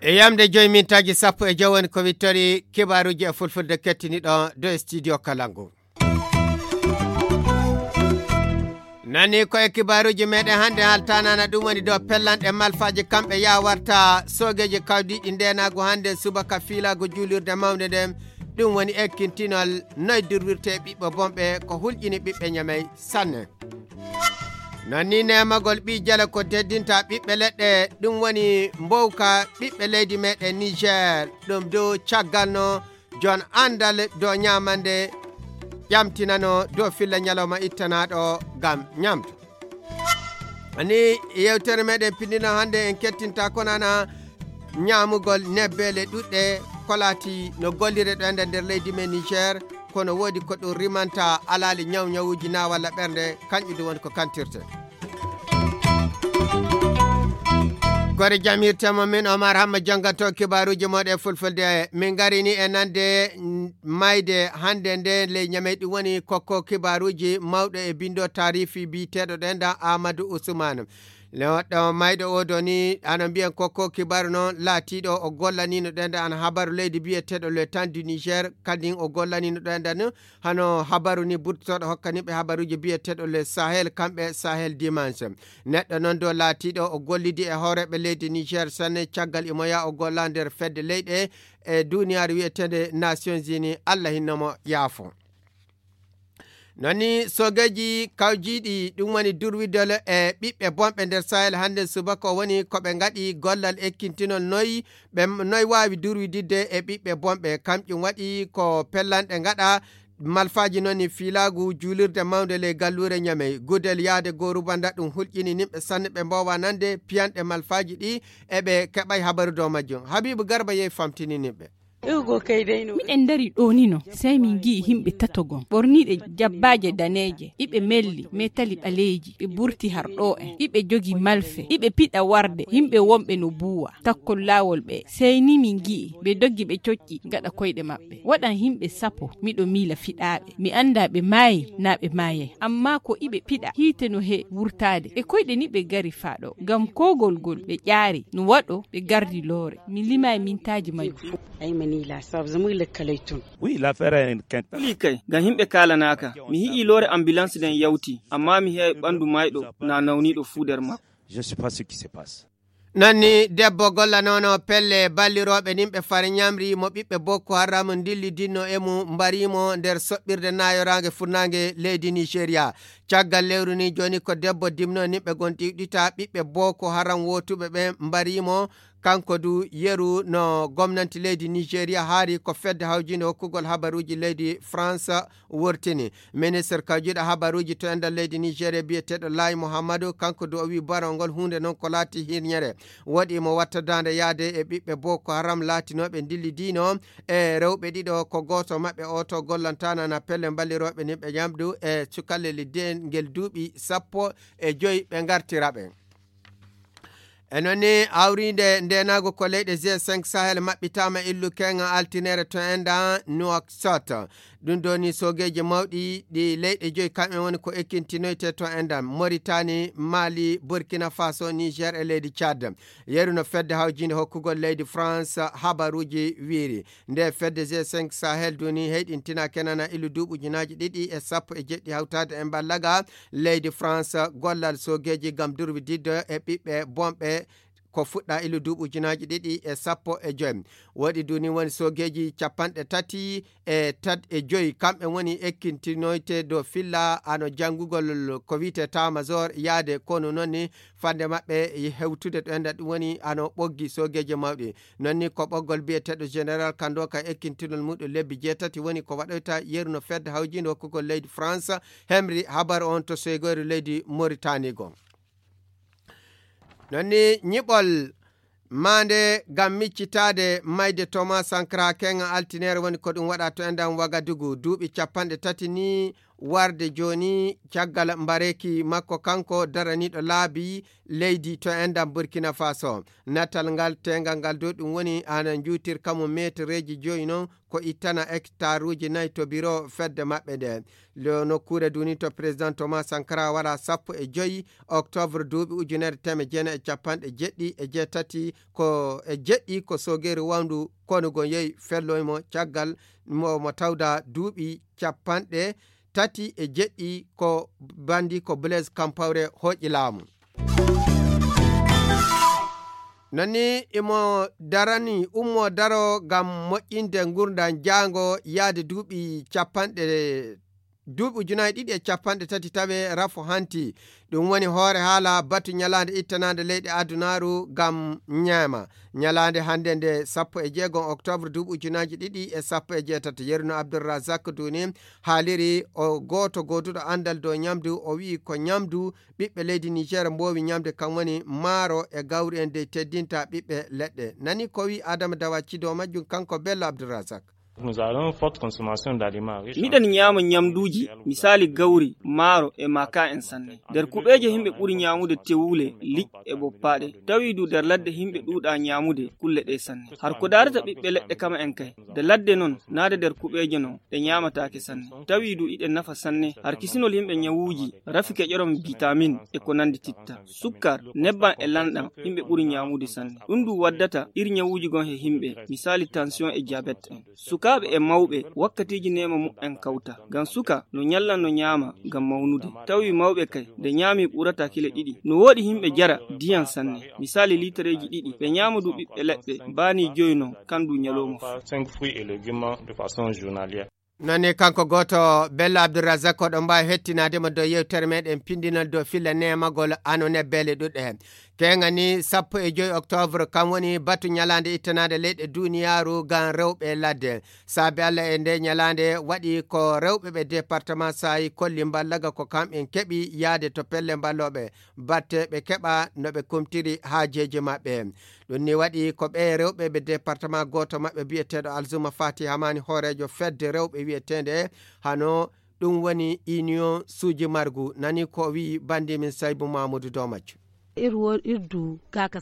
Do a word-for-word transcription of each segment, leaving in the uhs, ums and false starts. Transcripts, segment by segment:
E yamde joyi mintaaji sappo e joyi woni ko wittori kibaaruuji e fulfulde kettiniiɗo do studio Kalangu. Nani ko e kibaaruuji meɗen hannde haltanana ɗum woni dow pellanɗe malfaaji kamɓe yawarta soogeeji kawdiiɗi ndeenaagu hannde subaka fiilaagu juulirde mawnde nden. Ɗum woni ekkintinol noy durwirte ɓiɓɓe bonɓe ko hulƴini ɓiɓɓe ñamey sanne. Non ni nemagol ɓii jale ko teddinta ɓiɓɓe leɗɗe, ɗum woni mbowka ɓiɓɓe leydi meɗen Niger. Ɗum dow caggal no jon andal dow ñamande ƴamtinano dow filla ñalawma ittanaɗo ngam ñamdu. Ni yewtere meɗen pindino hannde en kettinta konana ñamugol nebbele ɗuɗɗe ko laati no gollire ɗo enda nder leydi men Niger. Kono woodi ko ɗum rimanta alaali ñaw ñawuuji na walla ɓernde, kanƴu ɗum woni ko kantirte. Gore jamirtemo min Omar Hamma janganto kibaaruuji moɗe fulfulde. Min ngarini e nande mayde hannde nde ley ñamey ɗum woni kokko kibaaruuji mawɗo e bindo taarifi biyeteeɗo ɗenda Amadou Ousmane. Neɗɗo mayɗo o doni ano mbiyen kokko kibaaru noon laatiiɗo o gollanino ɗenda an habaru leydi biyeteeɗo le temps du Niger. Kadin o gollanino ɗenda no hano habaru ni burtotoɗo hokkaniɓe habaruji biyeteeɗo le Sahel kamɓe Sahel Dimanche. Neɗɗo noon do laatiiɗo o gollidi e hooreɓe leydi Niger sanne caggal imoya o golla nder fedde leyɗe e duniyaaru wiyeteende Nations Unies. Allah hinnomo yaafo. Non ni soogeeji kawjiiɗi ɗum woni durwidol e ɓiɓɓe bonɓe nder Sahel hannde subaka o woni ko ɓe ngaɗi gollal ekkintinol noy ɓe noy waawi durwididde e ɓiɓɓe bonɓe. Kamƴum waɗi ko pellanɗe ngaɗa malfaaji non ni fiilaagu juulirde mawnde ley galluure ñamey gudel yaade goo rubanda ɗum hulƴini nimɓe sanne ɓe mboowa nande piyanɗe malfaaji ɗi eɓe keɓay habaru dow majjum. Habiibu Garba yehi famtini nimɓe. Miɗen dari ɗoo nino, sey min ngi'i yimɓe tato gom, ɓorniiɗe jabbaaje daneeje, iɓe melli, metali ɓaleeji, ɓe burti har ɗoo en, iɓe jogi malfe, iɓe piɗa warde, yimɓe wonɓe no buuwa, takkol laawol ɓe, sey ni min ngi'i, ɓe doggi ɓe cocci gaɗa koyɗe maɓɓe. Waɗan yimɓe sapo, miɗo miila fiɗaaɓe, mi anndaa ɓe maayi naa ɓe maayay, ammaa ko iɓe piɗa, hiite no he wurtaade, e koyɗe ni ɓe ngari faa ɗoo, ngam koogol ngol ɓe ƴaari, no waɗo ɓe ngardi loore. Mi limaay mintaaji majjum. Ay ma nii laa sabu zama ila kalay tun. Wi laa feera en kenta. Wuli kay ngam yimɓe kaalanaaka. Mi hi'i loore ambilans nden yawti ammaa mi he'ay ɓanndu maayɗo naa nawniiɗo fuu nder makko. Je ne sais pas ce qui se passe. Nanni debbo gollanono pelle ballirooɓe nimɓe fare ñamri mo ɓiɓɓe bokko haram ndillidinno e mum mbarimo nder soɓɓirde nayoraange furnaange leydi Nigeria. Caggal lewru ni jooni ko debbo dimno nimɓe gon ɗiwɗita ɓiɓɓe boko haram wootuɓe ɓen mbarimo. Kanko du yeru no gomnanti leydi Nigeria haari ko fedde hawjinde hokkugol habaruuji leydi France wurtini. Ministre kawjiiɗo habaruuji to enɗan leydi Nigeria biyeteeɗo Laay Muhammadu, kanko du o wii barol ngol huunde non ko laati hirñere. Woɗi mo wattadaande yaade e ɓiɓɓe boko haram laatinooɓe ndillidiino e rewɓe ɗiɗo, ko gooto maɓɓe oo to gollantaana na pelle mballirooɓe nimɓe ñamdu e cukalel dengel duuɓi sappo e joy ɓe ngartira ɓe. E noon ni hawriinde ndeenaagu ko leyɗe G cinq Sahel maɓɓitaama illu keeŋa altineere to enɗan Nouakchott. Ɗum ɗoo ni soogeeji mawɗi ɗi leyɗe joy kamɓe woni ko ekkintinoyte to enɗan Mauritanie, Mali, Burkina Faso, Niger e leydi Tchad. Yeru no fedde hawjiinde hokkugol leydi France habaruuji wiiri. Nde fedde G cinq Sahel duni heyɗintina kenana ilu duuɓi ujunaaji ɗiɗi e sappo e jeɗɗi hawtaade e mballaga leydi France gollal soogeeji ngam durwididde e ɓiɓɓe bonɓe ko fuɗɗa ilu duuɓi ujunaaji ɗiɗi e sappo e joy. Woɗi duni woni soogeeji capanɗe tati e tat e joy kamɓe woni ekkintinoyte dow filla ano janngugol ko wiyte tamajor yaade konu noon ni fande maɓɓe hewtude ɗo enɗan ɗum woni ano ɓoggi soogeeji mawɗi. Noon ni ko ɓoggol biyeteeɗo général Kandoka ekkintinol muɗum lebbi jeetati woni ko waɗoyta yeru no fedde hawjiinde hokkugol leydi France hemri habaru on to soogeeru leydi Mauritanie goo. Noon ni ñiɓol maande ngam miccitaade mayde Thomas Sankara keeŋa altineere woni ko ɗum waɗa to enɗan Wagadugu duuɓi capanɗe tati ni warde jooni caggal mbareeki makko kanko daraniiɗo laabi leydi to enɗam Burkina Faso. Natal ngal teengal ngal dow ɗum woni ana njuutir kamu meetereeji joyi noon ko ittana hectaruuji nayi to biro fedde maɓɓe nde. Lo nokkuure duni to président Thomas Sankara waɗa sappo e joyi octobre duuɓi ujunere teme jeenayi e capanɗe jeɗɗi e jeetati ko e jeɗɗi ko sogeeri wawndu konugo yehi felloymo caggal mo mo tawda duuɓi capanɗe tati e jeɗɗi ko bandi ko Blaise Compaoré hoƴi laamu. Nani imo darani ummo daro ngam moƴƴinde ngurdan jaango yaade duuɓi capanɗe duuɓi ujunaaji ɗiɗi e capanɗe tati tawe rafo hanti. Ɗum woni hoore haala batu ñalaande ittanaande leyɗe adunaaru ngam ñaama. Ñalaande hannde nde sappo e jeegom octobre duuɓi ujunaaji ɗiɗi e sappo e jeetati, Yerno Abdulrazak Duni haaliri o gooto gooduɗo anndal dow ñamdu, o wi'i ko ñamdu ɓiɓɓe leydi Niger mboowi ñamde kam woni maaro e gawri en dey teddinta ɓiɓɓe leɗɗe. Nani ko wi'i Adama Dawa Cido majjum kanko Bello Abdulrazak. Nous avons une forte consommation d'aliments riches en miɗen ñaama ñamduuji, misaali gawri, maaro e maaka en sanne. Nder kuɓeeje yimɓe ɓuri ñaamude tewule, liƴƴi e boppaaɗe. Tawi du nder ladde yimɓe ɗuuɗa ñaamude kulle ɗe sanne. Har ko daarata ɓiɓɓe leɗɗe kama en kay, nde ladde noon, naade nder kuɓeeje noon, ɗe ñaamataake sanne. Tawi du iɗe nafa sanne, har kisinol yimɓe ñawuuji, rafi keƴorom bitamin e ko nandi titta. Sukkar, nebban e lanɗan, yimɓe ɓuri ñaamude sanne. Ɗum du waddata ir ñawuuji gon he yimɓe, misaali tension e diabète en. Sukaaɓe e mawɓe, wakkatiiji neema muɓɓen kawta. Ngam suka, no ñalla no ñaama ngam mawnude. Tawi mawɓe kay, nde ñaami ɓurata kile ɗiɗi. No wooɗi yimɓe jara diyan sanne, misaali liitareeji ɗiɗi. Ɓe ñaama du ɓiɓɓe leɗɗe, baani joyi non, kan du ñalooma fof. Cinq fruits et légumes de façon journalière. Nani kanko gooto Bello Abdulrazak, oɗon mbaawi hettinaade mo dow yewtere meɗen pindinal dow filla neemagol ano nebbeele ɗuɗɗe. Keŋani sappo e joyi octobre, kam woni batu ñalaande ittanaande leyɗe duniyaaru ngam rewɓe ladde. Saabi Allah e nde ñalaande waɗi ko rewɓe ɓe département Saayi kolli mballaga ko kamɓen keɓi yaade to pelle mballooɓe batte ɓe keɓa no ɓe kumtiri haajeeji maɓɓe. Ɗum ni waɗi ko ɓe rewɓe ɓe département gooto maɓɓe biyeteeɗo Alzuma Fati Hamani hooreejo fedde rewɓe wiyeteende hano ɗum woni union suuji margu nani ko wi'i banndi min Saybu Mamudu Domajo.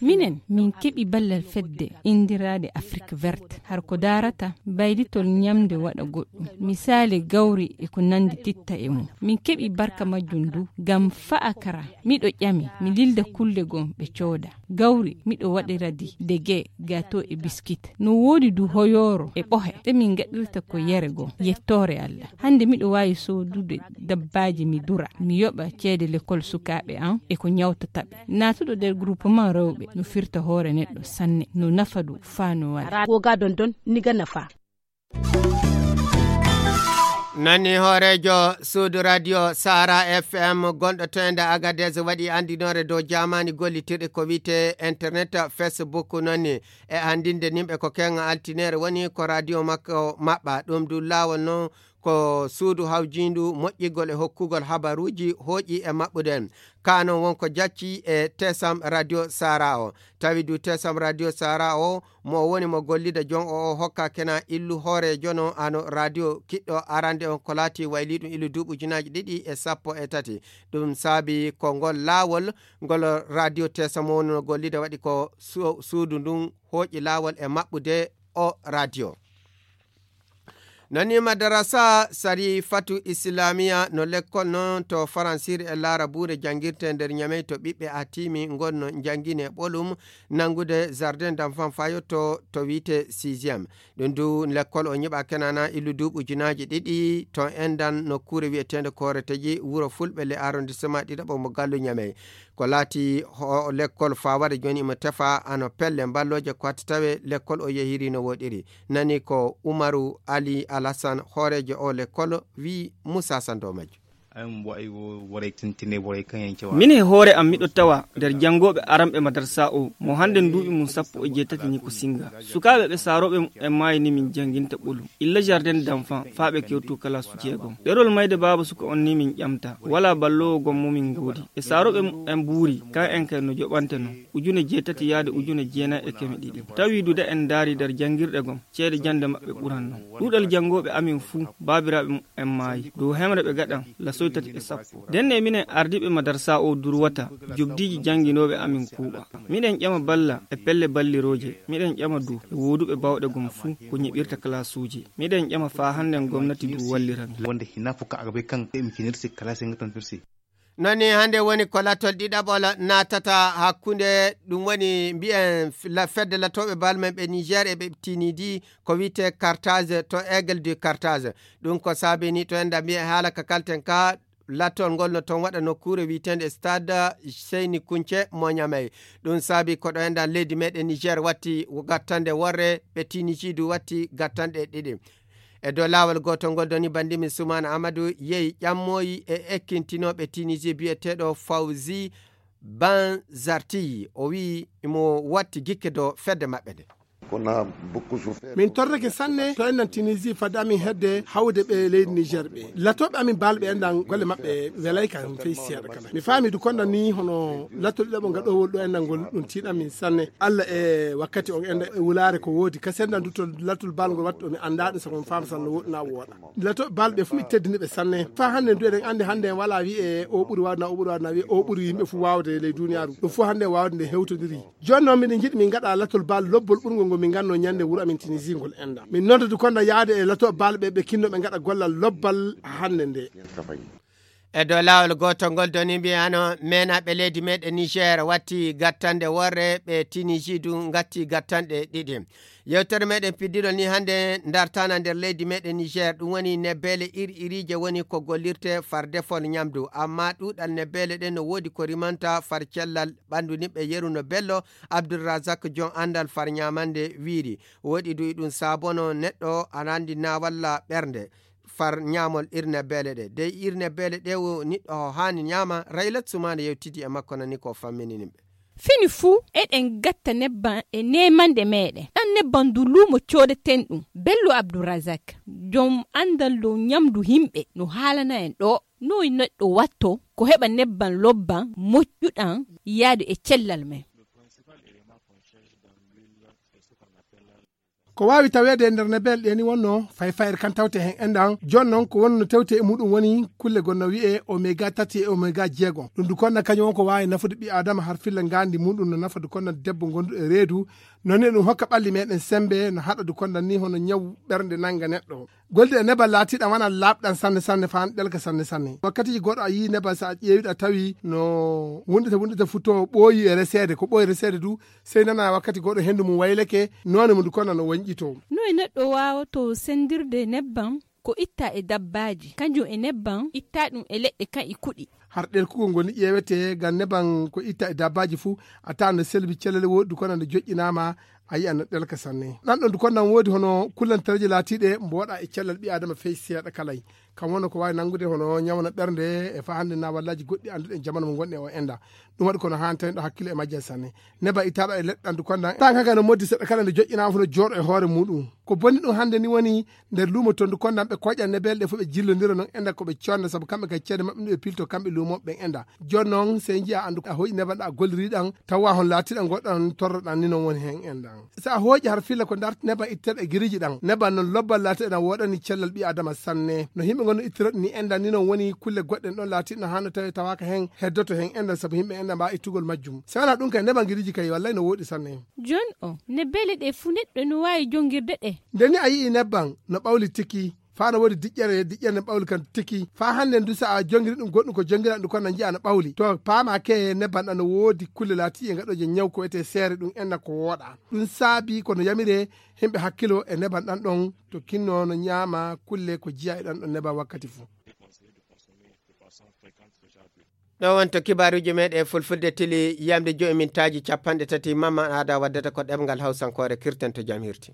Minen, min keɓi ballal fedde inndiraaɗe Afrik Verte, har ko daarata baylitol ñamde waɗa goɗɗum, misaali gawri e ko nanndi titta e mum. Min keɓi barka majjum du, ngam fa'a kara, miɗo ƴami, mi lilda kulle gom ɓe cooda. Gawri, miɗo waɗira di dege, gato e biskit. No woodi du hoyooro e ɓohe, ɗe min ngaɗirta ko yere gom, yettoore Allah. Hannde miɗo waawi soodude dabbaaji mi dura, mi yoɓa ceede lekol sukaaɓe am e ko ñawtata ɓe. Naatuɗo nder groupement rewɓe no firta hoore neɗɗo sanne, no nafa du faa no wara. Ko ga dondon ni ga nafa. Nani hooreejo suudu radio Sahara F M gonɗo to ende Agadez waɗi anndinoore dow jaamaani gollitirɗe ko wiyte internet, Facebook nani e anndinde nimɓe ko keŋa altineere woni ko radio makko maɓɓa. Ɗum du laawol non ko suudu hawjiindu moƴƴigol e hokkugol habaruuji hooƴi e maɓɓude. Ka non won ko jacci e Tesam Radio Sahara o. Tawi du Tesam Radio Sahara o, mo o woni mo gollida jon o, o hokka kena illu hooreejo no ano radio kiɗɗo arande on ko laati wayliɗum illu duuɓi ujunaaji ɗiɗi e sappo e tati. Ɗum saabi ko ngol laawol ngol radio Tesam o woni no gollida waɗi ko su-, suudu ndun hooƴi laawol e maɓɓude o radio. Nani madarasa Sarifatu Islamiya no lekkol non to Faransiri e Larabuure janngirte nder Ñamey to ɓiɓɓe atimi ngonno njanngine ɓolum nanngude jardin d'enfant fayotto to wiyte sixième. Ɗum du lekkol o ñiɓa kenana illu duuɓi ujunaaji ɗiɗi to endan nokkuure wiyeteende Kooreteji wuro Fulɓe le arrondissement ɗiɗaɓo mo Gallu Ñamey. Ko laati ho-, lekkol fawade jooni imo tefa ano pelle mballooje ko hatti tawe lekkol o yehiri no woɗiri. Nani ko Umaru Ali Alhassan, hooreejo o lekkol, wi Musa Sando majjo. An wa'i wo waray tintine waray kaŋ yaŋ cewa. Min he hoore am miɗo tawa nder janngooɓe aranɓe madarsa o, mo hannde duuɓi mum sappo e jeetati ni ko singa. Sukaaɓe ɓe saarooɓe mum en maayi ni min jannginta ɓolum. Illa jardin d'enfant faa ɓe kewtu kalaasu jeegom. Ɗerol mayde baaba suka on ni min ƴamta. Walaa balloowo gom mo min ngoodi. E saarooɓe mum en buuri, kaŋ en kay no joɓante non. Ujune jeetati yaade ujune jeenayi e keme ɗiɗi. Tawi duda en ndaari nder janngirɗe gom, ceede jannde maɓɓe ɓuran non. Ɗuuɗal janngooɓe amin fuu, baabiraaɓe mum en maayi. Dow hemre ɓe gaɗan, lasoy tati e sappo. Ndenne minen ardiiɓe madarsa o durwata, jobdiiji jannginooɓe amin kuuɓa. Miɗen ƴama balla e pelle ballirooje. Miɗen ƴama du e wooduɓe bawɗe gom fuu, ko ñiɓirta kalaasuuji. Miɗen ƴama faa hannden gomnati du wallira min. Wonde hina fof ka agabay kan ɓe mi kinirsi kalasi ngatantirsi. Nani hannde woni ko latol ɗiɗaɓol naatata hakkunde, ɗum woni mbiyen f-, la-, fedde latooɓe bal men ɓe Niger e ɓe Tinidi, ko wiyetee Carthage to Aigle du Carthage. Ɗum ko saabini to enda mbiyen haala ka kalten ka, latol ngol no toon waɗa nokkuure wiyeteende Stade Seyni Kunce mo Ñamey. Ɗum saabi ko ɗo enɗan leydi meɗen Niger watti gattande worre, ɓe Tinidi du watti gattanɗe ɗiɗi. E dow laawol gootol ngol doni banndi min Sumaana Amadu yehi ƴammoyi e ekkintinooɓe Tinisi biyeteeɗo Fawzi Banzarti. O wiyi imo watti gikke dow fedde maɓɓe nde. Min torrake sanne to enɗan Tinisi fadde amin hedde hawde ɓe leydi Niger ɓe. Latooɓe amin baalɓe enɗan golle maɓɓe welay ka fey seeɗa kala. Mi faami du konɗan ni hono latol ɗiɗaɓo ngaɗowol ɗo enɗan ngol ɗum tiiɗan min sanne. Alla e wakkati on enɗan e wulaare ko woodi. Kasi enɗan du to latol bal ngol wattu mi anndaa ɗum sabu mi faama sanne woɗɗi na wooɗa. Latooɓe bal ɓe fuu mi teddini ɓe sanne. Faa hannde du eɗen anndi hannde en walaa wi'e o ɓuri waawde na o ɓuri waawde na wi'e o ɓuri yimɓe fuu waawde e ley duuniyaaru. Ɗum fuu hannde waawde nde hewtondiri. Jooni noon miɗen njiɗi min ngaɗa latol bal lobbol ɓurngol ngol min ngannoo ñande wuro amin Tinisi ngol enɗan. Min nodda du konɗan yaade e latooɓe bal ɓe ɓe kinno ɓe ngaɗa gollal lobbal hannde nde. E dow laawol gootol ngol doni mbiyano meenaaɓe leydi meɗen Niger watti gattande worre ɓe Tinisi du ngatti gattanɗe ɗiɗi. Yewtere meɗen piddiɗo ni hannde dartana nder leydi meɗen Niger ɗum woni nebbeele ir iriije woni ko gollirte far defol ñamdu. Amma ɗuuɗal nebbeele ɗen no woodi ko rimanta far cellal ɓanndu ni ɓe yeru no bello. Abdulrazak jon anndal far ñamande wiiri. Woɗi du e ɗum saabono neɗɗo ana anndi na walla ɓernde. Far ñaamol irne beele ɗe dey irne beele ɗe wo niɗɗo ho haani ñaama. Raylat sumaana yewtidi e makko nani ko famminini ɓe. Fini fuu eɗen gatta nebban e neemanɗe meeɗen ɗan nebban du luumo coodeten ɗum. Bello abdourazak, jom anndal dow ñamdu himɓe no haalana en ɗo noy neɗɗo watto ko heɓa nebban lobban moƴƴuɗan yaadu e cellal men. Ko waawi taweede e nder nebel ɗe ni wonno fayfayre kan tawte heen enɗan. Jooni noon ko wonno tewte e muɗum woni kulle gonno wiyee oméga tati e oméga jeegom. Ɗum du konnan kañum won ko waawi nafude ɓi aadama har filla ngaandi muɗum no nafa du konnan debbo ngonduɗo e reedu. Noon ne ɗum hokka ɓalli meɗen sembe no haɗa du konnan ni hono ñaw ɓernde nannga neɗɗo. Golde e nebal laatiɗan wona laaɓɗan sanne sanne faan ɗelka sanne sanne. Wakkatiji goɗɗo a yii nebal so a ƴeewiɗo a tawi no wunɗita wunɗita futo ɓooyi e reseede ko ɓooyi reseede du. Sey nana wakkati goɗɗo henndu mum wayleke, noone mum du konnan no wonƴito. No e neɗɗo waawoto senndirde nebban ko itta e dabbaaji kanjum e nebban itta ɗum e leɗɗe kan e kuɗi. Har ɗelkugol ngol ni ƴeewete ngam nebban ko itta e dabbaaji fuu a tawan no selbi cellale woodi du konnan no joƴƴinaama. A yi'an no ɗelka sanne ɗan ɗon du konnan woodi hono kullantereeje laatiiɗe mboɗa e cellal ɓi aadama fey seeɗa kalay. Kam wonno ko waawi nanngude hono ñawna ɓernde e faa hannde na wallaaji goɗɗi annduɗen jamanu mo ngonɗen o enda. Ɗum waɗi kono haani tawi ɗo hakkille e majjal sanne. Neba ittaɗo e leɗɗe ɗan du konnan tan kaga no moddi seɗɗa kala nde joƴƴinaama fof no jooɗo e hoore muɗum. Ko bonni ɗum hannde ni woni nder luumo ton du konnan ɓe koƴan nebel ɗe fof ɓe jillondira noon enda ko ɓe conna sabu kamɓe kay ceede maɓɓe ɗum ɓe pilto kamɓe luumoɓe ɓen enda. Jooni noon sey njiya anndu a hoƴi neban ɗa a golliri ɗan tawa hon laatiɗan goɗɗan torroɗan ni noon woni heen enɗan. So a hooƴi har filla ko darti neban itteɗe giriji ɗan neban noon lobbal laatiɗe na woɗani cellal ɓi adama sanne no yimɓe gonno ittiroɗe ni enɗan ni noon woni kulle goɗɗen ɗon laatiɗe no hanno tawi tawaka heen heddoto heen enɗan sabu yimɓe enɗan mbawa ittugol majjum. So wona ɗum kay neban giriji kay wallay no woɗi sanne. Jooni o nebbele ɗe fuu neɗɗo no waawi jongirde ɗe. Nde ni a yi'i nebban no ɓawli tiki faa no woodi diƴƴere diƴƴere ne ɓawli kan tiki faa hannden du so a jongiri ɗum goɗɗum ko jongiraɗum kon na njiya no ɓawli to paama ke nebban ɗan no woodi kulle laatiiɗe gaɗooje ñaw ko wiyetee seere ɗum enna ko wooɗa. Ɗum saabi kono yamire himɓe hakkilo e neban ɗan ɗon to kinno no ñaama kulle ko jiya e ɗan ɗon neban wakkati fuu. Ɗo wonto kibaaruuji meɗen fulfulde tili yamde joyi mintaaji capanɗe tati mamma aada waddata ko ɗemngal hawsankoore kirten to jam hirti.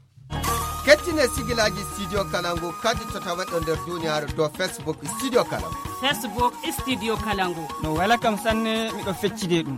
E sigilaaji Studio Kalangu kadi to tawaɗo nder duniyaaru dow Facebook Studio Kalangu. Facebook Studio Kalangu. No wela kam sanne, miɗo feccide ɗum.